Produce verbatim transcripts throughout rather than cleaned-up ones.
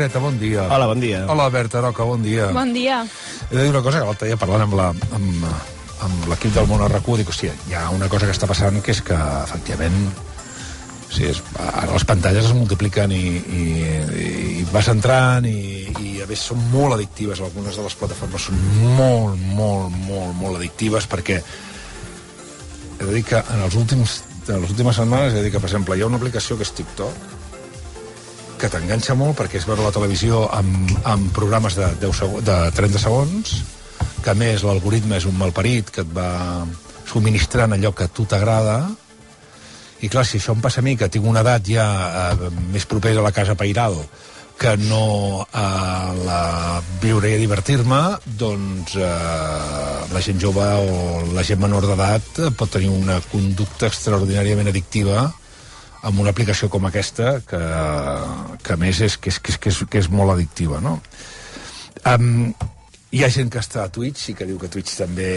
Negreta, bon dia. Hola, bon dia. Hola, Berta Roca, bon dia. Bon dia. He de dir una cosa, que l'altre dia parlant amb la... amb, amb l'equip del Món a RAC u, dic, hòstia, hi ha una cosa que està passant que és que, efectivament, o sigui, és, ara les pantalles es multipliquen i, i, i vas entrant i, i a més són molt addictives, algunes de les plataformes són molt, molt, molt, molt addictives, perquè he de dir que en els últims, en les últimes setmanes, he de dir que, per exemple, hi ha una aplicació que és TikTok, que t'enganxa molt perquè és veure la televisió amb, amb programes de, deu seg de trenta segons, que a més l'algoritme és un malparit que et va subministrant allò que a tu t'agrada, i clar, si això em passa a mi, que tinc una edat ja eh, més propera a la casa pairal que no a la viure i a divertir-me, doncs eh, la gent jove o la gent menor d'edat pot tenir una conducta extraordinàriament addictiva amb una aplicació com aquesta, que, que a més és que és, que és, que és, que és molt addictiva, no? Um, hi ha gent que està a Twitch i que diu que Twitch també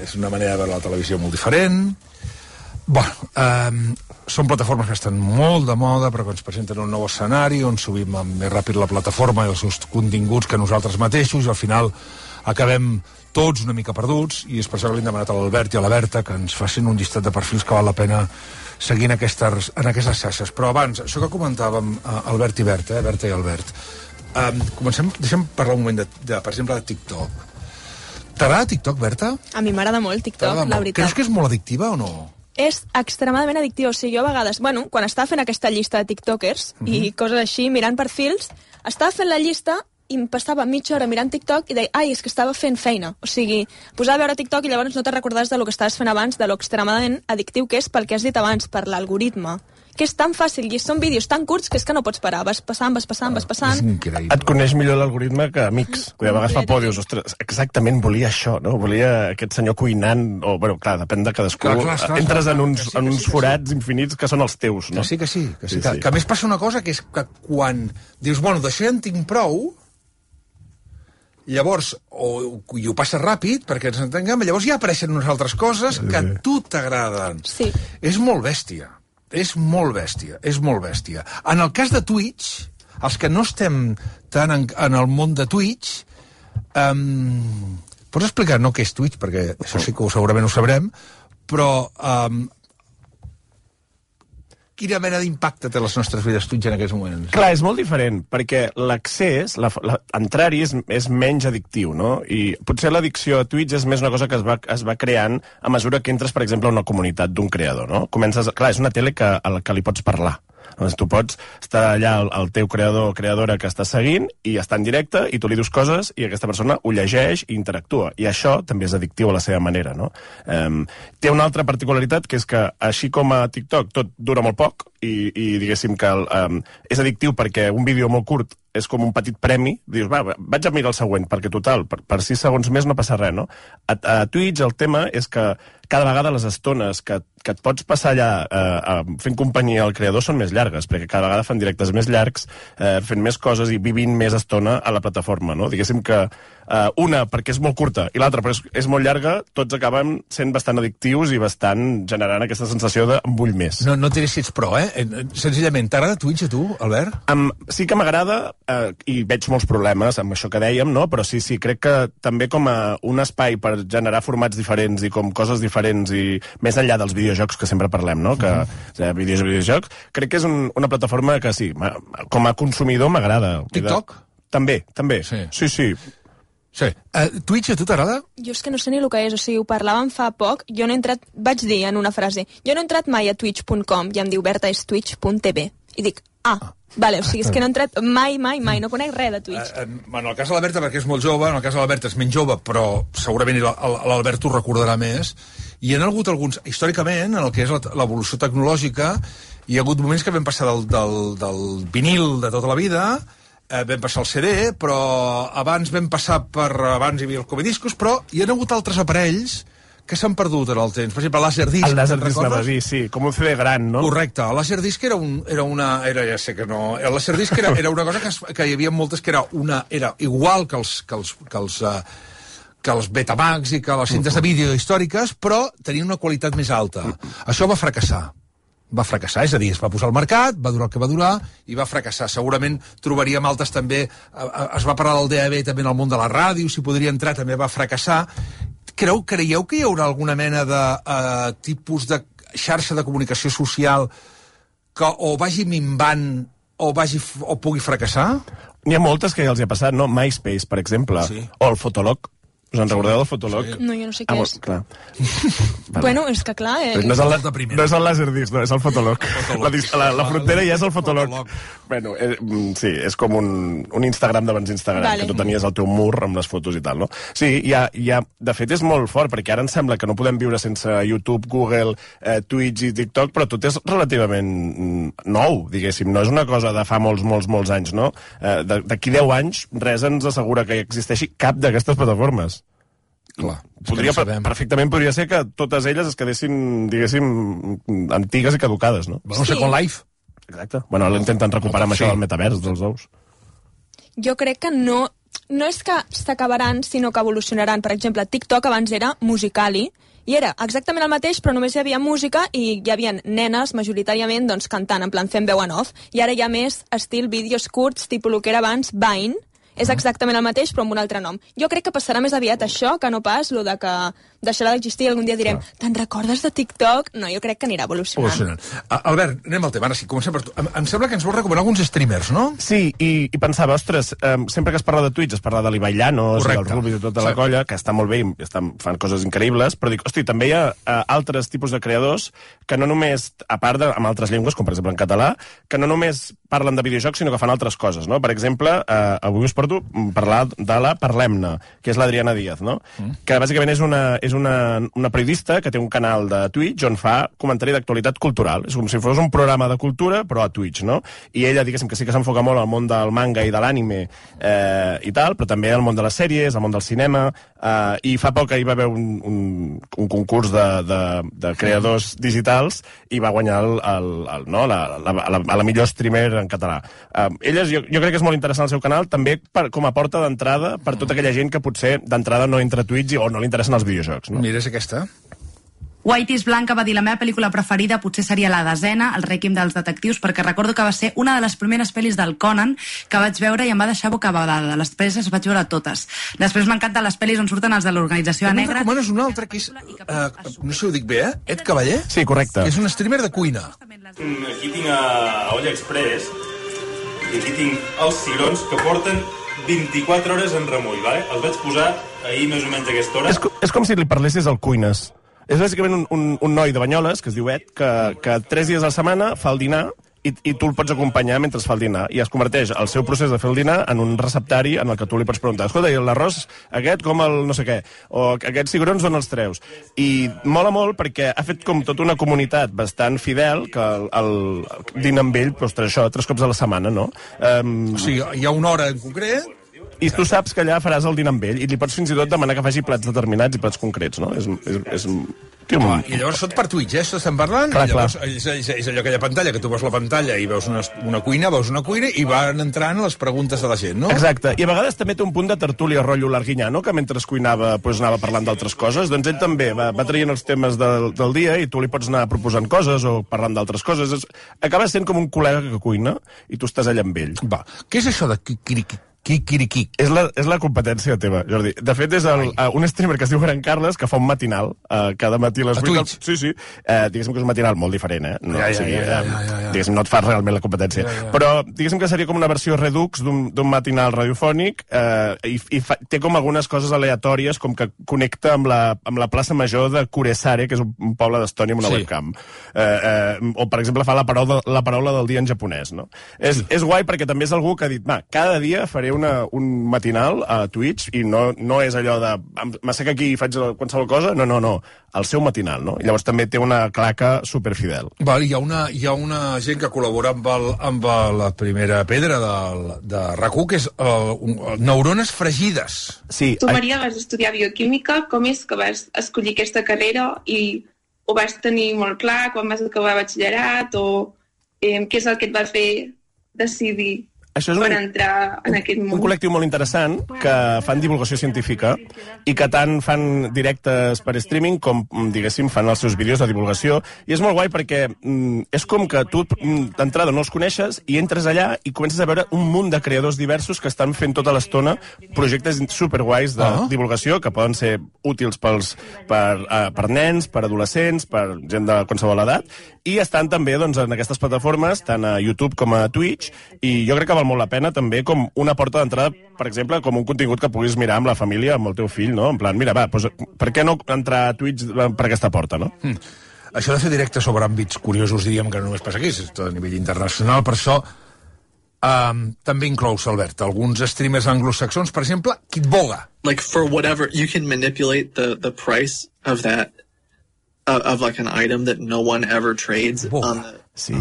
és una manera de veure la televisió molt diferent. Bueno, um, són plataformes que estan molt de moda, però que ens presenten un nou escenari on subim més ràpid la plataforma i els seus continguts que nosaltres mateixos, i al final acabem tots una mica perduts, i és per això que li hem demanat a l'Albert i a la Berta que ens facin un llistat de perfils que val la pena seguir en aquestes, en aquestes xarxes. Però abans, això que comentàvem, Albert i Berta, eh, Berta i Albert, um, comencem, deixem parlar un moment, de, de, per exemple, de TikTok. T'agrada TikTok, Berta? A mi m'agrada molt TikTok, la veritat. Creus que és molt addictiva o no? És extremadament addictiu, o sigui, jo a vegades, bueno, quan estava fent aquesta llista de tiktokers uh-huh. i coses així, mirant perfils, estava fent la llista i em passava mitja hora mirant TikTok i deia, ai, és que estava fent feina. O sigui, posava a veure TikTok i llavors no te recordaves de lo que estaves fent abans, de lo extremadament addictiu que és pel que has dit abans, per l'algoritme. Que és tan fàcil i són vídeos tan curts que és que no pots parar. Vas passant, vas passant, vas passant. Et coneix millor l'algoritme que amics. Que a vegades fa por, dius, ostres, exactament volia això, no? Volia aquest senyor cuinant, o, bueno, clar, depèn de cadascú. Clar, clar, clar, Entres clar, en uns, sí, en uns sí, forats sí. infinits que són els teus, no? Que sí, que sí. Que, sí, sí, que, sí. que a més passa una cosa, que és que quan dius, bueno, d'això ja en tinc prou, llavors, o, i ho passa ràpid, perquè ens entenguem, llavors ja apareixen unes altres coses que a tu t'agraden. Sí. És molt bèstia. És molt bèstia. És molt bèstia. En el cas de Twitch, els que no estem tant en, en el món de Twitch, um, pots explicar, no què és Twitch, perquè això sí que ho, segurament ho sabrem, però um, quina mena d'impacte té les nostres vides Twitch en aquests moments? Clar, és molt diferent, perquè l'accés, la, la, entrar-hi és, és menys addictiu, no? I potser l'addicció a Twitch és més una cosa que es va, es va creant a mesura que entres, per exemple, a una comunitat d'un creador, no? Comences, clar, és una tele que, a la que li pots parlar. Doncs tu pots estar allà el, el teu creador o creadora que està seguint i està en directe i tu li dius coses i aquesta persona ho llegeix i interactua. I això també és addictiu a la seva manera, no? Um, té una altra particularitat, que és que així com a TikTok tot dura molt poc i, i diguéssim que el, um, és addictiu perquè un vídeo molt curt és com un petit premi, dius, va, vaig a mirar el següent, perquè total, per, per sis segons més no passa res, no? A, a Twitch el tema és que cada vegada les estones que, que et pots passar allà eh, fent companyia al creador són més llargues, perquè cada vegada fan directes més llargs, eh, fent més coses i vivint més estona a la plataforma, no? Diguéssim que eh, una perquè és molt curta i l'altra perquè és, és molt llarga, tots acaben sent bastant addictius i bastant generant aquesta sensació de em vull més. No, no diré si ets pro, eh? Senzillament, t'agrada Twitch a tu, Albert? Um, sí que m'agrada, eh, i veig molts problemes amb això que dèiem, no? Però sí, sí, crec que també com a un espai per generar formats diferents i com coses diferents i més enllà dels videojocs que sempre parlem, no? Que uh-huh. vídeos i videojocs, crec que és un, una plataforma que sí, com a consumidor m'agrada. TikTok? També, també. Sí, sí. sí. Sí. Uh, Twitch a tu t'agrada? Jo és que no sé ni el que és, o sigui, ho parlàvem fa poc, jo no he entrat, vaig dir en una frase, jo no he entrat mai a twitch punt com i em diu Berta és twitch punt tv. I dic, ah, ah. Vale, o sigui, és que no he entrat mai, mai, mai, no conec res de Twitch. Uh, uh, en el cas de l'Alberta, perquè és molt jove, en el cas de l'Alberta és menys jove, però segurament l'Albert ho recordarà més, i hi ha hagut alguns, històricament, en el que és l'evolució tecnològica, hi ha hagut moments que vam passar del, del, del vinil de tota la vida, eh, vam passar al C D, però abans vam passar per, abans hi havia el comediscos, però hi ha hagut altres aparells que s'han perdut en el temps. Per exemple, el Laserdisc. El Laserdisc anava a dir, sí, com un C D gran, no? Correcte. El Laserdisc era, un, era una... Era, ja sé que no... El Laserdisc era, era una cosa que, es, que hi havia moltes que era una... Era igual que els... Que els, que els uh, que els Betamax i que les cintes de vídeo històriques, però tenia una qualitat més alta. Això va fracassar. va fracassar, és a dir, es va posar al mercat, va durar el que va durar i va fracassar. Segurament trobaríem altres també, es va parlar del D A B també en el món de la ràdio, si podria entrar també va fracassar. Creu, creieu que hi haurà alguna mena de uh, tipus de xarxa de comunicació social que o vagi minvant o, vagi, o pugui fracassar? N'hi ha moltes que ja els hi ha passat, no? MySpace, per exemple, sí. O el Fotolog. Us en recordeu del Fotolog? Sí. No, jo no sé què ah, és. Clar. Bueno, és que clar... Eh... No és el, la, no és el Laserdisc, no, és el Fotolog. La, la, la frontera ja és el Fotolog. Bueno, eh, sí, és com un, un Instagram d'abans Instagram, vale. Que tu tenies el teu mur amb les fotos i tal, no? Sí, ja, ja, de fet és molt fort, perquè ara em sembla que no podem viure sense YouTube, Google, eh, Twitch i TikTok, però tot és relativament nou, diguéssim. No és una cosa de fa molts, molts, molts anys, no? Eh, D'aquí deu anys, res ens assegura que existeixi cap d'aquestes plataformes. Clar, podria, no perfectament podria ser que totes elles es quedessin, diguéssim, antigues i caducades, no? Bueno, sí. Second Life. Exacte. Bueno, l'intenten recuperar amb sí. Això del metavers dels ous. Jo crec que no, no és que s'acabaran, sinó que evolucionaran. Per exemple, TikTok abans era Musical.ly, i era exactament el mateix, però només hi havia música i hi havia nenes, majoritàriament, doncs, cantant, en plan fent veu en off. I ara hi ha més estil vídeos curts, tipus el que era abans Vine. És exactament el mateix, però amb un altre nom. Jo crec que passarà més aviat això que no pas lo de que deixarà d'existir i algun dia direm, te'n recordes de TikTok? No, jo crec que anirà evolucionant. evolucionant. Uh, Albert, anem al tema. Ara sí, comencem per tu. Em, em sembla que ens vols recomanar alguns streamers, no? Sí, i, i pensava, ostres, um, sempre que es parla de Twitch es parla de l'Ibai Llanos, del Rubi i tota la colla, que està molt bé i estan, fan coses increïbles, però dic, hosti, també hi ha uh, altres tipus de creadors que no només, a part de, amb altres llengües, com per exemple en català, que no només parlen de videojocs, sinó que fan altres coses, no? Per exemple, uh, avui us porto parlar de la Parlem-ne, que és l'Adriana Díaz, no? Mm. Que bàsicament és una, és una, una periodista que té un canal de Twitch on fa comentari d'actualitat cultural. És com si fos un programa de cultura, però a Twitch, no? I ella, diguéssim, que sí que s'enfoca molt al món del manga i de l'ànime eh, i tal, però també al món de les sèries, al món del cinema, eh, i fa poc ahir va haver un, un, un concurs de, de, de creadors digitals i va guanyar el, el, el, no? la, la, la, la millor streamer en català. Eh, ella, jo, jo crec que és molt interessant el seu canal, també per, com a porta d'entrada per tota aquella gent que potser d'entrada no entra a Twitch o no li interessen els videojocs. No? Mira, és aquesta. White is Blanca va dir la meva pel·lícula preferida potser seria la desena, El rèquiem dels detectius, perquè recordo que va ser una de les primeres pel·lis del Conan que vaig veure i em va deixar bocabadada. Les pel·lis les vaig veure totes. Després m'encanten les pel·lis on surten els de l'Organització A Negra. Recomanes una altra que és, uh, no sé si ho dic bé, eh? Ed Cavaller? Sí, correcte. Que és un streamer de cuina. Aquí tinc a Olla Express i aquí tinc els cigrons que porten vint-i-quatre hores en remull, vale? Els vaig posar ahir més o menys a aquesta hora. És, és com si li parlessis al Cuines. És bàsicament un, un, un noi de Banyoles, que es diu Ed, que, que tres dies a la setmana fa el dinar i, i tu el pots acompanyar mentre fa el dinar. I es converteix el seu procés de fer el dinar en un receptari en el que tu li pots preguntar, escolta, i l'arròs aquest com el no sé què, o aquests cigrons on els treus? I mola molt perquè ha fet com tota una comunitat bastant fidel que el, el, el dina amb ell, doncs, això, tres cops a la setmana, no? Um, o sigui, hi ha una hora en concret... I tu saps que allà faràs el dinar amb ell i li pots fins i tot demanar que faci plats determinats i plats concrets, no? És, és, és, tio, ah, I llavors tot per Twitch, eh? Estem parlant? Clar, I llavors, clar. és, és, és allò, aquella pantalla, que tu veus la pantalla i veus una, una cuina, veus una cuina i van entrant les preguntes de la gent, no? Exacte. I a vegades també té un punt de tertúlia rotllo Larguinyano, que mentre cuinava pues, anava parlant d'altres coses. Doncs ell també va, va traient els temes del, del dia i tu li pots anar proposant coses o parlant d'altres coses. És, acaba sent com un col·lega que cuina i tu estàs allà amb ell. Va. Què és això de Kikiriki? Kikiriki. És la, és la competència teva, Jordi. De fet, és el, uh, un streamer que es diu Gran Carles que fa un matinal uh, cada matí a les vuit. Twitch? Sí, sí. Uh, diguéssim que és un matinal molt diferent, eh? No, ja, ja, o sigui, ja, ja, ja, ja, ja. Diguéssim, no et fas realment la competència. Ja, ja. Però diguéssim que seria com una versió redux d'un matinal radiofònic uh, i, i fa, té com algunes coses aleatòries, com que connecta amb la, amb la plaça major de Kuresare, que és un, un poble d'Estònia amb una sí. webcam. Uh, uh, o, per exemple, fa la paraula, la paraula del dia en japonès, no? És, és guai perquè també és algú que ha dit, va, cada dia faré una, un matinal a Twitch i no, no és allò de m'assec aquí i faig qualsevol cosa, no, no, no, el seu matinal, no? I llavors també té una claca superfidel. Val, hi ha una, hi ha una gent que col·labora amb, el, amb la primera pedra del, de RAC u, que és uh, un, neurones fregides. Sí. Tu, Maria, vas estudiar bioquímica. Com és que vas escollir aquesta carrera i ho vas tenir molt clar quan vas acabar batxillerat o eh, què és el que et va fer decidir? Això és un, per entrar en aquest món. Un col·lectiu molt interessant que fan divulgació científica i que tant fan directes per streaming com, diguéssim, fan els seus vídeos de divulgació. I és molt guai perquè mm, és com que tu d'entrada no els coneixes i entres allà i comences a veure un munt de creadors diversos que estan fent tota l'estona projectes superguais de uh-huh. divulgació que poden ser útils pels, per, uh, per nens, per adolescents, per gent de qualsevol edat, i estan també doncs, en aquestes plataformes, tant a YouTube com a Twitch, i jo crec que val molt la pena també com una porta d'entrada, per exemple, com un contingut que puguis mirar amb la família, amb el teu fill, no? En plan, mira, va, doncs, per què no entrar a Twitch per aquesta porta, no? Mm. Això de fer directe sobre àmbits curiosos, diríem que no només passa aquí, és tot a nivell internacional, per això um, també inclous, Albert, alguns streamers anglosaxons, per exemple, Kitboga. Like, for whatever, you can manipulate the, the price of that, of, of like an item that no one ever trades Boga. on the... Sí,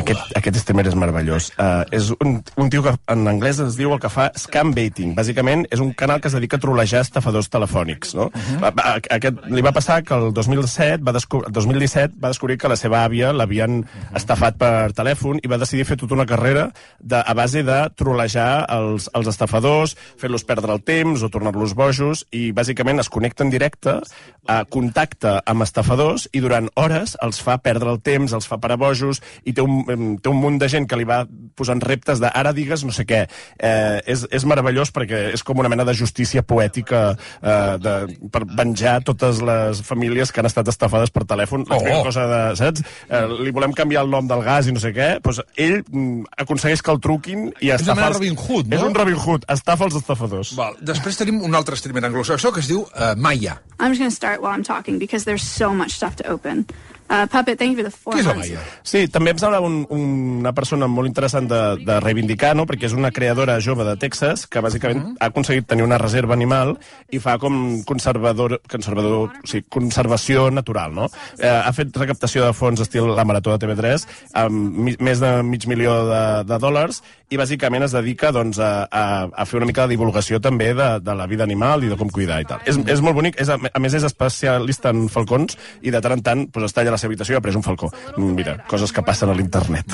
aquest, aquest streamer és meravellós. Uh, és un, un tio que en anglès es diu el que fa scam baiting. Bàsicament és un canal que es dedica a trolejar estafadors telefònics, no? Uh-huh. Aquest, li va passar que el dos mil set va descobrir, el dos mil disset va descobrir que la seva àvia l'havien uh-huh. estafat per telèfon i va decidir fer tota una carrera de, a base de trolejar els, els estafadors, fer-los perdre el temps o tornar-los bojos, i bàsicament es connecta en directe, uh, contacta amb estafadors i durant hores els fa perdre el temps, els fa parar bojos, i té un, té un munt de gent que li va posant reptes de ara digues no sé què. Eh, és, és meravellós perquè és com una mena de justícia poètica eh, de, per venjar totes les famílies que han estat estafades per telèfon. La oh. cosa de, saps? Eh, li volem canviar el nom del gas i no sé què. Pues ell mm, aconsegueix que el truquin i estafa... És un Robin Hood, no? És un Robin Hood, estafa els estafadors. Val. Després tenim un altre streamer anglosaxó que es diu uh, Maya. I'm just going to start while I'm talking because there's so much stuff to open. Uh, Puppet, thank you for the four Què és la months. Maya? Sí, també em sembla un, una persona molt interessant de, de reivindicar, no? Perquè és una creadora jove de Texas que bàsicament uh -huh. ha aconseguit tenir una reserva animal i fa com conservador, conservador o sigui, conservació natural, no? Eh, ha fet recaptació de fons estil la Marató de T V tres amb mi, més de mig milió de, de dòlars i bàsicament es dedica doncs, a, a, a fer una mica de divulgació també de, de la vida animal i de com cuidar i tal. És, és molt bonic, és, a, a més és especialista en falcons i de tant en tant pues, està allà a la seva habitació i ha pres un falcó. Mira, coses que passen a l'internet.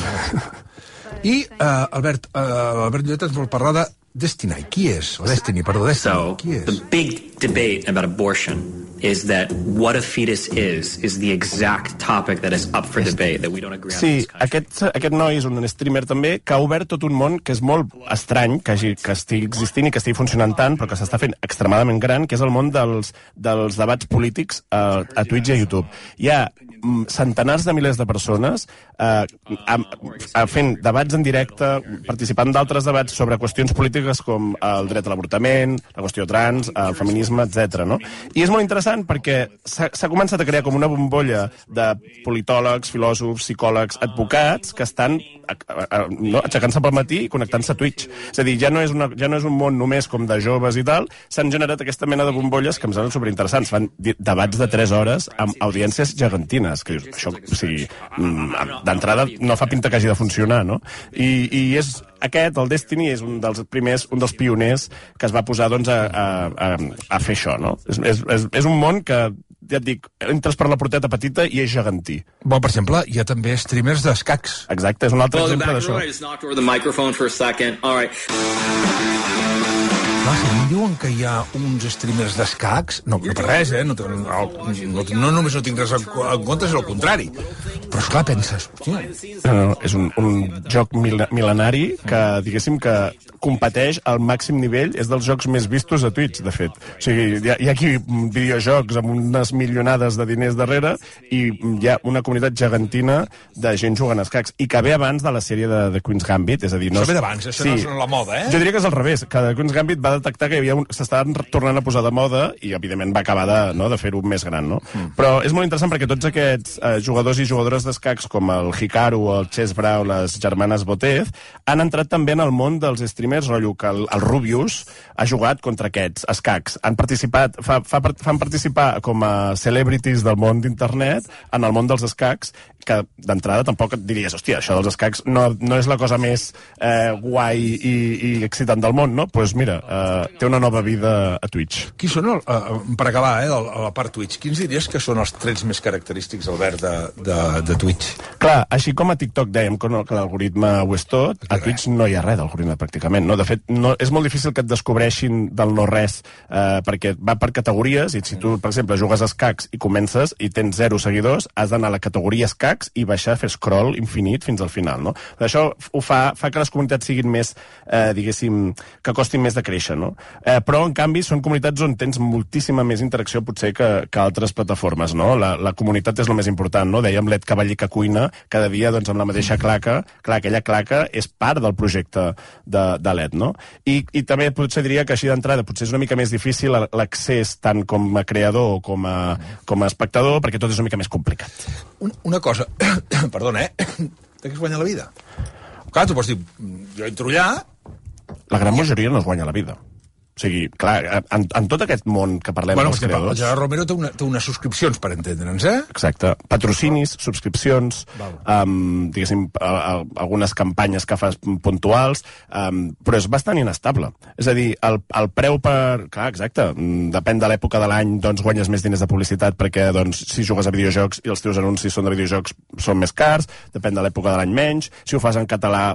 I, uh, Albert, uh, Albert Lloret ens vol parlar de Destiny. Qui és? O Destiny, perdó, Destiny. So, Qui és? the big debate about abortion is that what a fetus is, is the exact topic that is up for debate, that we don't agree on. Sí, aquest, aquest noi és un streamer també que ha obert tot un món que és molt estrany, que, hagi, que estigui existint i que estigui funcionant tant, però que s'està fent extremadament gran, que és el món dels, dels debats polítics a, a Twitch i a YouTube. Hi ha centenars de milers de persones eh, a, a fent debats en directe, participant d'altres debats sobre qüestions polítiques com el dret a l'avortament, la qüestió trans, el feminisme, etcètera. No? I és molt interessant perquè s'ha començat a crear com una bombolla de politòlegs, filòsofs, psicòlegs, advocats que estan no, aixecant-se pel matí i connectant-se a Twitch. És a dir, ja no és, una, ja no és un món només com de joves i tal, s'han generat aquesta mena de bombolles que em semblen superinteressants. Fan debats de tres hores amb audiències gegantines. Que dius, això, o sigui, d'entrada no fa pinta que hagi de funcionar, no? I, i és aquest, el Destiny, és un dels primers, un dels pioners que es va posar doncs, a, a, a, a fer això, no? És, és, és un món que, ja et dic, entres per la porteta petita i és gegantí. Bon, per exemple, hi ha també streamers d'escacs. Exacte, és un altre Well, exemple d'això. I just knocked over the microphone for a second. All right. Clar, si em diuen que hi ha uns streamers d'escacs, no, no per res, eh? No, no, no, no només no tinc res en compte, és el contrari. Però, esclar, penses... Hòstia. No, no, és un, un joc mil, mil·lenari que, diguéssim, que competeix al màxim nivell, és dels jocs més vistos a Twitch, de fet. O sigui, hi ha, hi ha aquí videojocs amb unes milionades de diners darrere i hi ha una comunitat gegantina de gent jugant a escacs, i que ve abans de la sèrie de The Queen's Gambit, és a dir... No això ve d'abans, això sí. No és la moda, eh? Jo diria que és al revés, que The Queen's Gambit va detectar que hi havia un... s'estaven tornant a posar de moda i, evidentment, va acabar de, no, de fer-ho més gran, no? Mm. Però és molt interessant perquè tots aquests eh, jugadors i jugadores d'escacs, com el Hikaru o el Chess Brawl, les germanes Botez, han entrat també en el món dels streamers, rotllo que el, el Rubius ha jugat contra aquests escacs. Han participat, fa, fa, fan participar com a celebrities del món d'internet en el món dels escacs, que d'entrada tampoc et diries, hòstia, això dels escacs no, no és la cosa més eh, guai i, i excitant del món, no? Doncs pues mira, eh, té una nova vida a Twitch. Qui són, el, uh, per acabar, eh, a la part Twitch, quins diries que són els trets més característics, Albert, de, de de Twitch. Clar, així com a TikTok dèiem que, no, que l'algoritme ho és tot, a Twitch no hi ha res d'algoritme pràcticament. No? De fet, no, és molt difícil que et descobreixin del no-res, eh, perquè va per categories, i si tu, per exemple, jugues a escacs i comences i tens zero seguidors, has d'anar a la categoria escacs i baixar a fer scroll infinit fins al final. No? Això ho fa, fa que les comunitats siguin més, eh, diguéssim, que costin més de créixer. No? Eh, però, en canvi, són comunitats on tens moltíssima més interacció potser que, que altres plataformes. No? La, la comunitat és el més important. No? Dèiem l'Ed Cavaller que cuina cada dia doncs, amb la mateixa claca. Clar, aquella claca és part del projecte de, de l'Ed. No? I, I també potser diria que així d'entrada potser és una mica més difícil l'accés tant com a creador o com a, com a espectador, perquè tot és una mica més complicat. Un, una cosa, perdona, eh? De què es guanya la vida? Clar, tu pots dir, jo entro allà... La gran majoria no es guanya la vida. O sigui, clar, en, en tot aquest món que parlem bueno, dels creadors... El Gerard Romero té, una, té unes subscripcions, per entendre'ns, eh? Exacte. Patrocinis, subscripcions, um, diguéssim, a, a, algunes campanyes que fas puntuals, um, però és bastant inestable. És a dir, el, el preu per... Clar, exacte, depèn de l'època de l'any, doncs guanyes més diners de publicitat perquè, doncs, si jugues a videojocs i els teus anuncis són de videojocs, són més cars, depèn de l'època de l'any menys, si ho fas en català,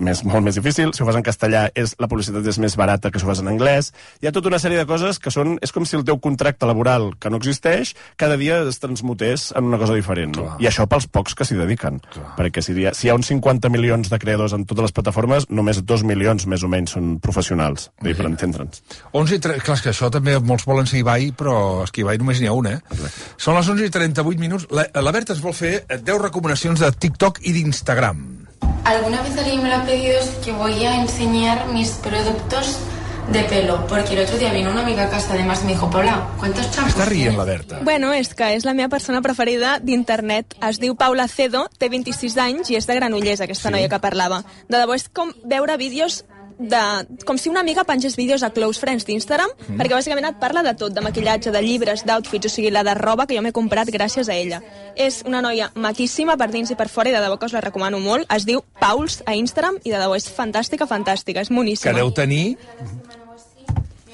és molt més difícil, si ho fas en castellà, és, la publicitat és més barata que si ho fas en anglès. Hi ha tota una sèrie de coses que són... És com si el teu contracte laboral, que no existeix, cada dia es transmutés en una cosa diferent. No? I això pels pocs que s'hi dediquen. Clar. Perquè si hi, ha, si hi ha uns cinquanta milions de creadors en totes les plataformes, només dos milions, més o menys, són professionals, uh -huh. per entendre'ns. onze i trenta... Clar, és que això també molts volen ser Ibai, però és que Ibai només n'hi ha un, eh? Exacte. Són les onze i trenta-vuit minuts. La, la Berta ens vol fer deu recomanacions de TikTok i d'Instagram. Alguna vez alguien me lo ha pedido, es que voy a enseñar mis productos de pelo, porque el otro día vino una amiga a casa, además me dijo, Paula, ¿cuántos champús? Està rient la Berta. Bueno, és que és la meva persona preferida d'internet. Es diu Paula Cedo, té vint-i-sis anys i és de Granollers, aquesta sí. noia que parlava. De debò és com veure vídeos de, com si una amiga pengés vídeos a Close Friends d'Instagram, mm. perquè bàsicament et parla de tot, de maquillatge, de llibres, d'outfits, o sigui, la de roba que jo m'he comprat gràcies a ella. És una noia maquíssima per dins i per fora i de debò que us la recomano molt. Es diu Pauls a Instagram i de debò és fantàstica, fantàstica, és moníssima. Que deu tenir...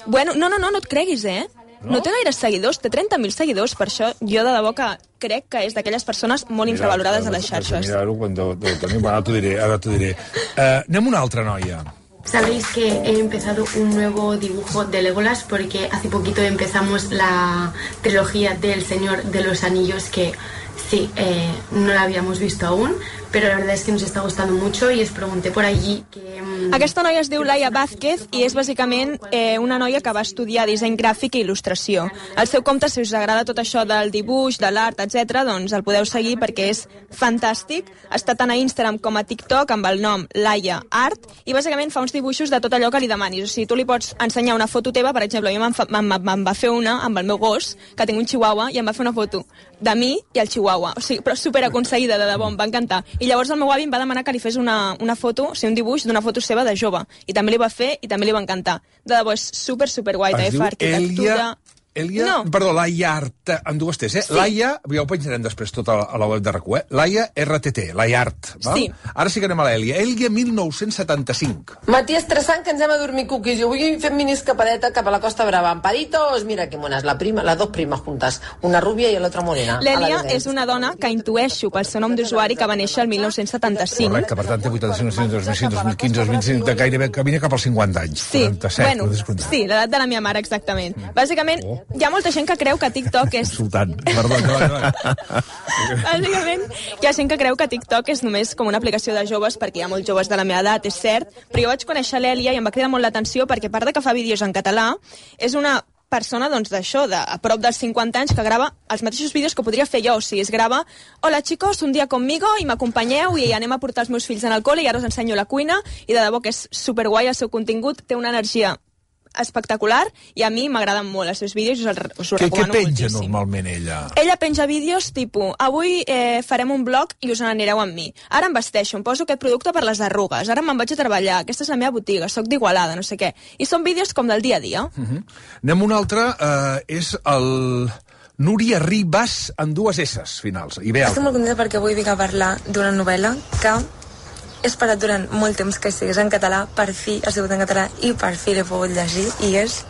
Bueno, no, no, no, no et creguis, eh? No, no té gaires seguidors, té trenta mil seguidors, per això jo de debò que crec que és d'aquelles persones molt mira, infravalorades a les xarxes. Mira-ho, quan deu tenir... Ara t'ho diré, ara t'ho diré. Uh, anem una altra noia. Sabéis que he empezado un nuevo dibujo de Legolas porque hace poquito empezamos la trilogía del Señor de los Anillos que sí, eh, no la habíamos visto aún, pero la verdad es que nos está gustando mucho y os pregunté por allí que... Um... Aquesta noia es diu Laia Vázquez i és bàsicament eh, una noia que va estudiar disseny gràfic i il·lustració. Al seu compte, si us agrada tot això del dibuix, de l'art, etcètera, doncs el podeu seguir perquè és fantàstic. Està tant a Instagram com a TikTok amb el nom Laia Art i bàsicament fa uns dibuixos de tot allò que li demanis. O sigui, tu li pots ensenyar una foto teva, per exemple, jo me'n va fer una amb el meu gos, que tinc un chihuahua, i em va fer una foto de mi i el chihuahua. O sigui, però superaconseguida, de debò, em va encantar. I llavors el meu avi em va demanar que li fes una, una foto, o sigui, un dibuix d'una foto seva de jove. I també li va fer i també li va encantar. De debò, és super, super guai. Es diu Elia... Elia, no. perdó, Laia Art, amb dues T's, eh? Sí. Laia, ja ho penjarem després tot a la, a la web de RAC u, eh? Laia R T T, Laia Art, val? Sí. Ara sí que anem a l'Èlia. Èlia mil nou-cents setanta-cinc. Matí estressant que ens hem a dormir cookies. Jo vull fer mini escapadeta cap a la Costa Brava. Amparitos, mira que mones, la prima, las dos primas juntas, una rubia i l'altra morena. L'Èlia és una dona que intueixo pel seu nom d'usuari que va néixer el mil nou-cents setanta-cinc. Correcte, per tant té vuitanta-cinc, dos mil cinc, dos mil quinze, dos mil vint-cinc, de gairebé camina cap als cinquanta anys. Sí, quaranta-set, bueno, sí, l'edat de la meva mare, exactament. Bàsicament, oh. hi ha molta gent que creu que TikTok és... Insultant. Perdó, perdó. Bàsicament, hi ha gent que creu que TikTok és només com una aplicació de joves, perquè hi ha molts joves de la meva edat, és cert, però jo vaig conèixer l'Èlia i em va cridar molt l'atenció perquè, a part de que fa vídeos en català, és una persona, doncs, d'això, de a prop dels cinquanta anys, que grava els mateixos vídeos que podria fer jo. O sigui, es grava, hola chicos, un dia conmigo, i m'acompanyeu, i anem a portar els meus fills en el col·le, i ara us ensenyo la cuina, i de debò que és superguai el seu contingut, té una energia espectacular i a mi m'agraden molt els seus vídeos i us, el, us ho què, recomano què penja moltíssim. Normalment ella? Ella penja vídeos tipus avui eh, farem un blog i us n'anireu amb mi, ara em vesteixo, em poso aquest producte per les arrugues, ara me'n vaig a treballar, aquesta és la meva botiga, soc d'Igualada, no sé què, i són vídeos com del dia a dia. Uh -huh. Anem un altre, eh, és el Núria Ribas en dues S's finals. I bé, estic molt contenta perquè avui vinc a parlar d'una novel·la que he esperat durant molt temps que sigués en català, per fi ha sigut en català i per fi l'he pogut llegir i és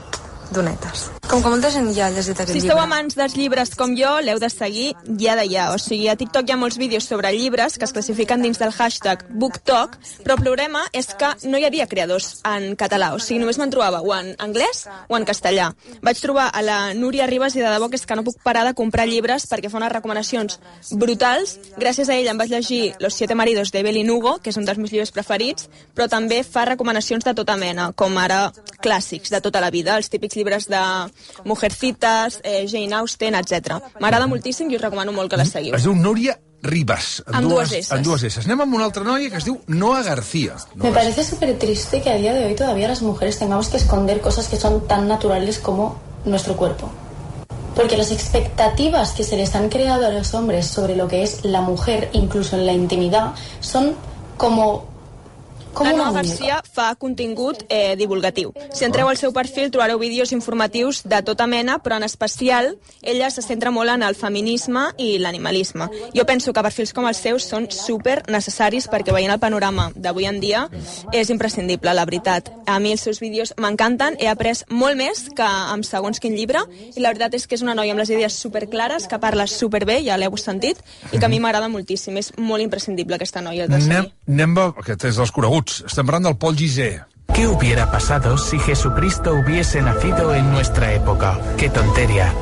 Donetes. Com que molta gent ja ha llegit aquest Si llibre. esteu amants dels llibres com jo, l'heu de seguir ja de ja. O sigui, a TikTok hi ha molts vídeos sobre llibres que es classifiquen dins del hashtag BookTok, però el problema és que no hi havia creadors en català. O sigui, només me'n trobava o en anglès o en castellà. Vaig trobar a la Núria Ribas i de debò que és que no puc parar de comprar llibres perquè fa unes recomanacions brutals. Gràcies a ella em vaig llegir Los siete maridos de Evelyn Hugo, que és un dels meus llibres preferits, però també fa recomanacions de tota mena, com ara clàssics de tota la vida, els típics llibres de Mujercitas, eh, Jane Austen, etcètera. M'agrada moltíssim i us recomano molt que la seguiu. Es diu Núria Ribas. Amb dues esses. Amb dues esses. Anem amb una altra noia que es diu Noa García. Me parece súper triste que a día de hoy todavía las mujeres tengamos que esconder cosas que son tan naturales como nuestro cuerpo. Porque las expectativas que se les han creado a los hombres sobre lo que es la mujer, incluso en la intimidad, son como... Com la una Noa muñeca. García fa contingut eh, divulgatiu. Si entreu al seu perfil trobareu vídeos informatius de tota mena, però en especial ella se centra molt en el feminisme i l'animalisme. Jo penso que perfils com els seus són super necessaris perquè veient el panorama d'avui en dia és imprescindible, la veritat. A mi els seus vídeos m'encanten, he après molt més que amb segons quin llibre i la veritat és que és una noia amb les idees superclares, que parla superbé, ja l'heu sentit, i que a mi m'agrada moltíssim. És molt imprescindible aquesta noia de seguir. Anem, anem a... Aquest és dels coneguts. Estem parlant del Pol Gizé. ¿Qué hubiera pasado si Jesucristo hubiese nacido en nuestra época? ¡Qué tontería!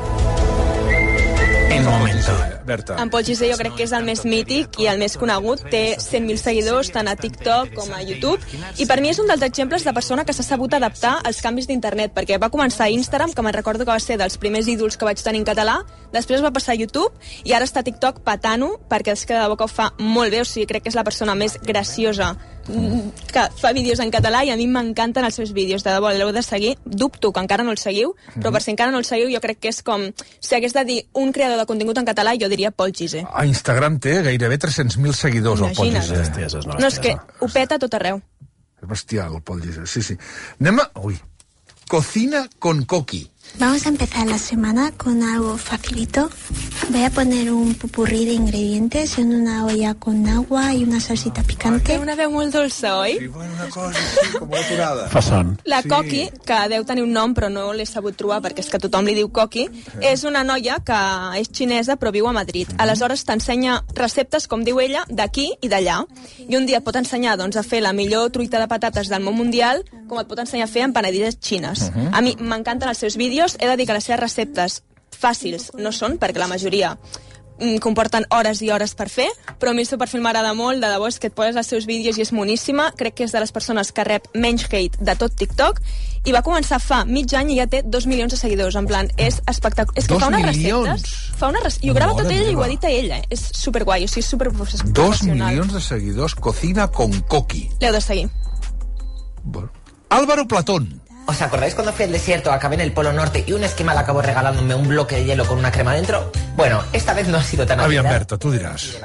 En un momento. Berta. En Pol Gizé jo crec que és el més mític i el més conegut. Té cent mil seguidors tant a TikTok com a YouTube. I per mi és un dels exemples de persona que s'ha sabut adaptar als canvis d'internet, perquè va començar a Instagram, que me'n recordo que va ser dels primers ídols que vaig tenir en català, després va passar a YouTube i ara està a TikTok patant-ho, perquè és que de debò que ho fa molt bé. O sigui, crec que és la persona més graciosa que fa vídeos en català i a mi m'encanten els seus vídeos, de debò, l'heu de seguir. Dubto que encara no el seguiu, però per si encara no el seguiu jo crec que és com, si hagués de dir un creador de contingut en català, jo diria Pol Gizé. A Instagram té gairebé tres-cents mil seguidors, el Pol Gizé. No, és que ho peta a tot arreu. És bestial, el Pol Gizé, sí, sí. Anem a... Ui. Cocina con Coqui. Vamos a empezar la semana con algo facilito. Voy a poner un popurrí de ingredientes en una olla con agua y una salsita picante. Té una veu molt dolça, oi? Sí, bueno, una cosa així, com una aturada. Fa son. La Sí. Coqui, que deu tenir un nom però no l'he sabut trobar perquè és que tothom li diu Coqui, és una noia que és xinesa però viu a Madrid. Aleshores t'ensenya receptes, com diu ella, d'aquí i d'allà. I un dia et pot ensenyar doncs, a fer la millor truita de patates del món mundial, com et pot ensenyar a fer empanadilles xines. Uh-huh. A mi m'encanten els seus vídeos, he de dir que les seves receptes fàcils no són, perquè la majoria mm, comporten hores i hores per fer, però a mi el seu perfil m'agrada molt, de debò és que et poses els seus vídeos i és moníssima. Crec que és de les persones que rep menys hate de tot TikTok i va començar fa mig any i ja té dos milions de seguidors, en plan, és espectacular. És que Dos fa unes milions? receptes, fa unes receptes, i ho grava Mare tot ella i ho meva. edita ella, és superguai, o sigui, és superprofessional. Dos milions de seguidors, Cocina con Coqui. L'heu de seguir. Álvaro Platón. ¿Os acordáis cuando fui al desierto, acabé en el Polo Norte y un esquimal acabó regalándome un bloque de hielo con una crema dentro? Bueno, esta vez no ha sido tan Aviam, arriesgado. Berta, tu diràs.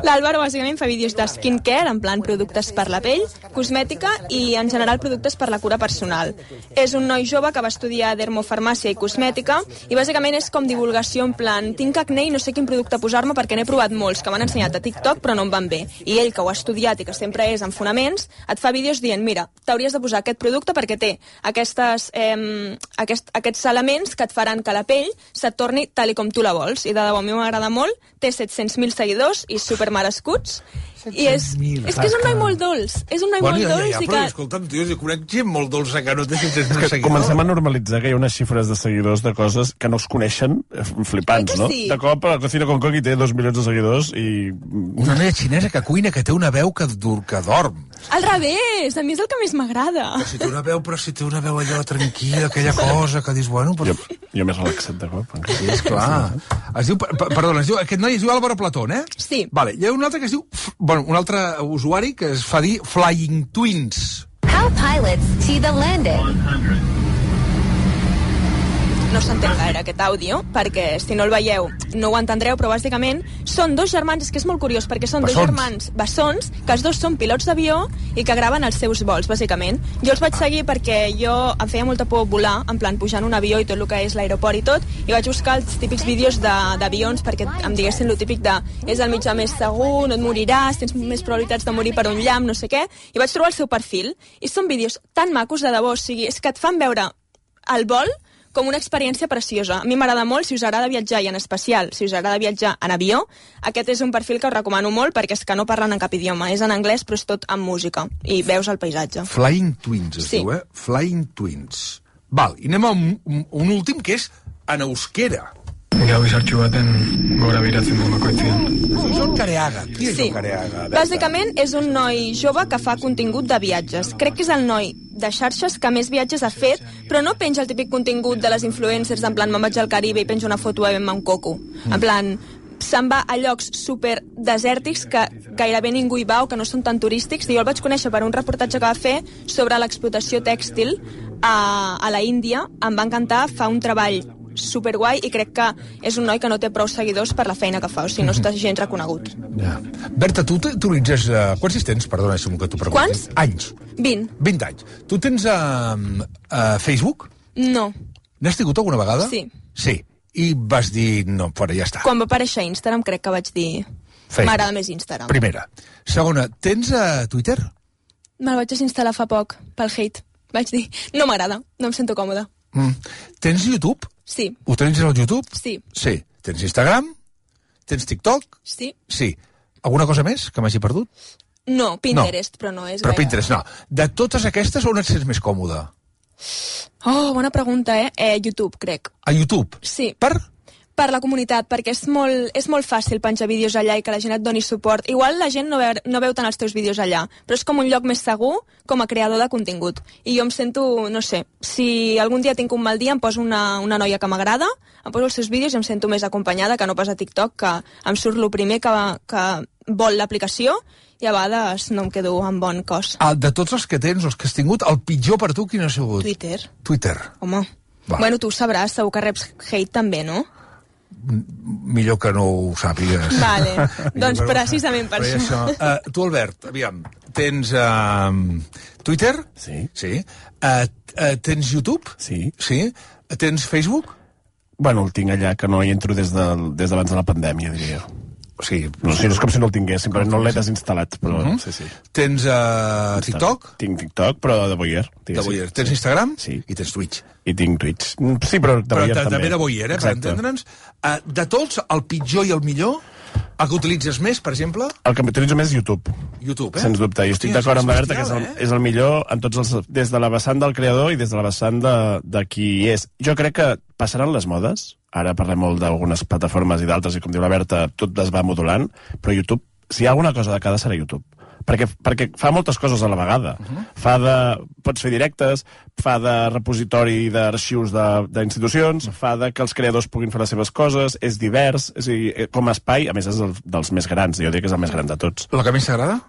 L'Àlvaro bàsicament fa vídeos de skincare, en plan productes per la pell, cosmètica i en general productes per la cura personal. És un noi jove que va estudiar dermofarmàcia i cosmètica i bàsicament és com divulgació en plan, tinc acné i no sé quin producte posar-me perquè n'he provat molts que m'han ensenyat a TikTok però no em van bé. I ell, que ho ha estudiat i que sempre és en fonaments, et fa vídeos dient, mira, t'hauries de posar aquest producte perquè té aquestes, eh, aquest, aquests elements que et faran que la pell se't torni tal i com tu la vols. I de debò, a mi m'agrada molt, té set-cents mil seguidors i supermerescuts. I és, és que és un noi molt dolç. És un noi Bueno, molt ja, ja, dolç ja, i però, que... escolta'm, tio, jo conec gent molt dolça que no té set-cents mil És que seguidors. comencem a normalitzar que hi ha unes xifres de seguidors de coses que no es coneixen, eh, flipants, Oi que no? sí? De cop, la Cocina con Coqui té dos milions de seguidors i... Una noia xinesa que cuina, que té una veu que, dur, que dorm. Al revés, a mi és el que més m'agrada. Però si té una veu, però si té una veu allò tranquil·la, aquella cosa que dius, bueno... Però... Jo, jo més relaxat de cop. Sí, esclar. Es diu, per- perdona, es diu, aquest noi es diu Álvaro Platón, eh? Sí. Vale, hi ha un altre que es diu... F- Bueno, un altre usuari que es fa dir Flying Twins. How pilots see the landing. No s'entén gaire aquest àudio, perquè si no el veieu no ho entendreu, però bàsicament són dos germans, és que és molt curiós, perquè són dos Bessons. germans bessons, que els dos són pilots d'avió i que graven els seus vols, bàsicament. Jo els vaig seguir perquè jo em feia molta por volar, en plan pujar en un avió i tot el que és l'aeroport i tot, i vaig buscar els típics vídeos de- d'avions perquè em diguessin el típic de és el mitjà més segur, no et moriràs, tens més probabilitats de morir per un llamp, no sé què, i vaig trobar el seu perfil, i són vídeos tan macos, de debò, o sigui, és que et fan veure el vol com una experiència preciosa. A mi m'agrada molt, si us agrada viatjar, i en especial si us agrada viatjar en avió, aquest és un perfil que us recomano molt, perquè és que no parlen en cap idioma. És en anglès, però és tot amb música, i veus el paisatge. Flying Twins, es Sí. diu, eh? Flying Twins. Val, i anem a un, un, un últim, que és en euskera. Gau izartxu baten gora biratzen du bakoitzean. És el Careaga. Qui és Sí. el Careaga? Bàsicament és un noi jove que fa contingut de viatges. Crec que és el noi de xarxes que més viatges ha fet, però no penja el típic contingut de les influencers, en plan, me'n vaig al Caribe i penjo una foto bevent-me un coco. En plan, se'n va a llocs super desèrtics que gairebé ningú hi va o que no són tan turístics. I jo el vaig conèixer per un reportatge que va fer sobre l'explotació tèxtil a, a la Índia. Em va encantar, fa un treball superguai i crec que és un noi que no té prou seguidors per la feina que fa, o sigui, no està gens reconegut. Ja. Berta, tu t'utilitzes... Uh, quants anys tens? Perdona, si que t'ho pregunti. Quants? Anys. vint. vint anys. Tu tens uh, uh, Facebook? No. N'has tingut alguna vegada? Sí. Sí. I vas dir, no, fora, ja està. Quan va aparèixer Instagram crec que vaig dir Facebook. m'agrada més Instagram. Primera. Segona, tens uh, Twitter? Me'l vaig desinstal·lar fa poc, pel hate. Vaig dir, no m'agrada, no em sento còmoda. Mm. Tens YouTube? Sí. Utilitzes el YouTube? Sí. Sí. Tens Instagram? Tens TikTok? Sí. Sí. Alguna cosa més que m'hagi perdut? No, Pinterest, no. Però no és Però gaire... Pinterest, no. De totes aquestes, on et sents més còmode? Oh, bona pregunta, eh? eh YouTube, crec. A YouTube? Sí. Per? Per la comunitat, perquè és molt, és molt fàcil penjar vídeos allà i que la gent et doni suport. Igual la gent no veu, no veu tant els teus vídeos allà, però és com un lloc més segur com a creador de contingut. I jo em sento, no sé, si algun dia tinc un mal dia em poso una, una noia que m'agrada, em poso els seus vídeos i em sento més acompanyada que no pas a TikTok, que em surt el primer que, que vol l'aplicació i a vegades no em quedo amb bon cos. Ah, de tots els que tens, els que has tingut, el pitjor per tu quin ha sigut? Twitter. Twitter. Home. Va. Bueno, tu ho sabràs, segur que reps hate també, no? Millor que no ho sàpigues. Vale, doncs precisament per això. això. Uh, tu, Albert, aviam, tens uh, Twitter? Sí. Sí. Uh, uh, tens YouTube? Sí. Sí. Tens Facebook? Bueno, el tinc allà, que no hi entro des d'abans de, des de la pandèmia, diria. O sigui, no, sí, no és com si no el tingués, simplement no l'he desinstal·lat, però uh -huh. sí, sí. Tens uh, TikTok? Tinc TikTok, però de Voyeur. De Voyeur. Tens Instagram? Sí. I tens Twitch. I tinc Twitch. Sí, però de però Voyeur també. també de Voyeur, eh, per entendre'ns. Uh, de tots, el pitjor i el millor, el que utilitzes més, per exemple? El que utilitzo més és YouTube. YouTube, eh? Sens dubte. I estic d'acord amb la Berta, que és el, eh? és el millor en tots els, des de la vessant del creador i des de la vessant de, de qui és. Jo crec que passaran les modes. Ara parlem molt d'algunes plataformes i d'altres, i com diu la Berta, tot es va modulant, però YouTube, si hi ha alguna cosa de cada serà YouTube. Perquè, perquè fa moltes coses a la vegada. Uh -huh. Fa de... Pots fer directes, fa de repositori d'arxius d'institucions, fa de que els creadors puguin fer les seves coses, és divers, és a dir, com a espai, a més és el, dels més grans, jo dic que és el més gran de tots. El que més t'agrada?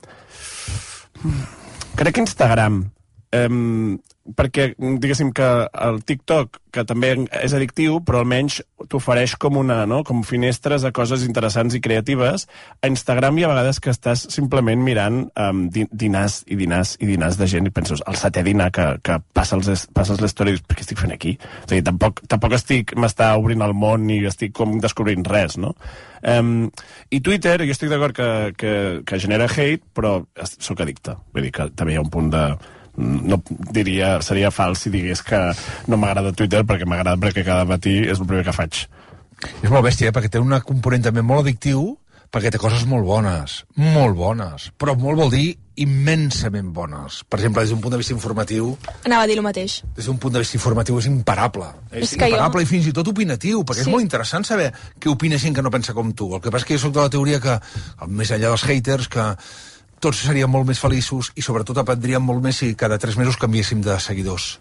Crec que Instagram. Um, perquè, diguéssim que el TikTok, que també és addictiu, però almenys t'ofereix com una, no?, com finestres a coses interessants i creatives. A Instagram hi ha vegades que estàs simplement mirant um, dinars i dinars i dinars de gent i penses, el setè dinar que, que passa els, passes l'història i dius, què estic fent aquí? És a dir, tampoc, tampoc estic, m'està obrint el món ni estic com descobrint res, no? Um, I Twitter, jo estic d'acord que, que, que genera hate, però sóc addicte. Vull dir que també hi ha un punt de... no diria, seria fals si digués que no m'agrada Twitter, perquè m'agrada perquè cada matí és el primer que faig. És molt bèstia, eh? Perquè té un component també molt addictiu, perquè té coses molt bones, molt bones, però molt vol dir immensament bones. Per exemple, des d'un punt de vista informatiu... Anava a dir el mateix. Des d'un punt de vista informatiu és imparable. És, és imparable jo... i fins i tot opinatiu, perquè sí. És molt interessant saber què opina gent que no pensa com tu. El que passa és que jo soc de la teoria que, més enllà dels haters, que tots seríem molt més feliços i sobretot aprendríem molt més si cada tres mesos canviéssim de seguidors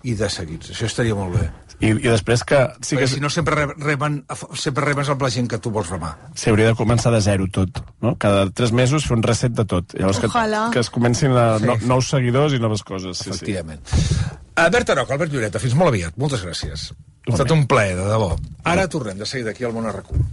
i de seguits. Això estaria molt bé. I, i després que... Sí que si no sempre reben, sempre rebes amb la gent que tu vols remar. Sí, hauria de començar de zero tot, no? Cada tres mesos fer un reset de tot. Llavors que, que es comencin a no, nous seguidors i noves coses. Sí, efectivament. Sí. Uh, Berta Roca, Albert Lloreta, fins molt aviat. Moltes gràcies. Ha estat un plaer, de debò. Ara tornem de seguida aquí al Món a RAC u.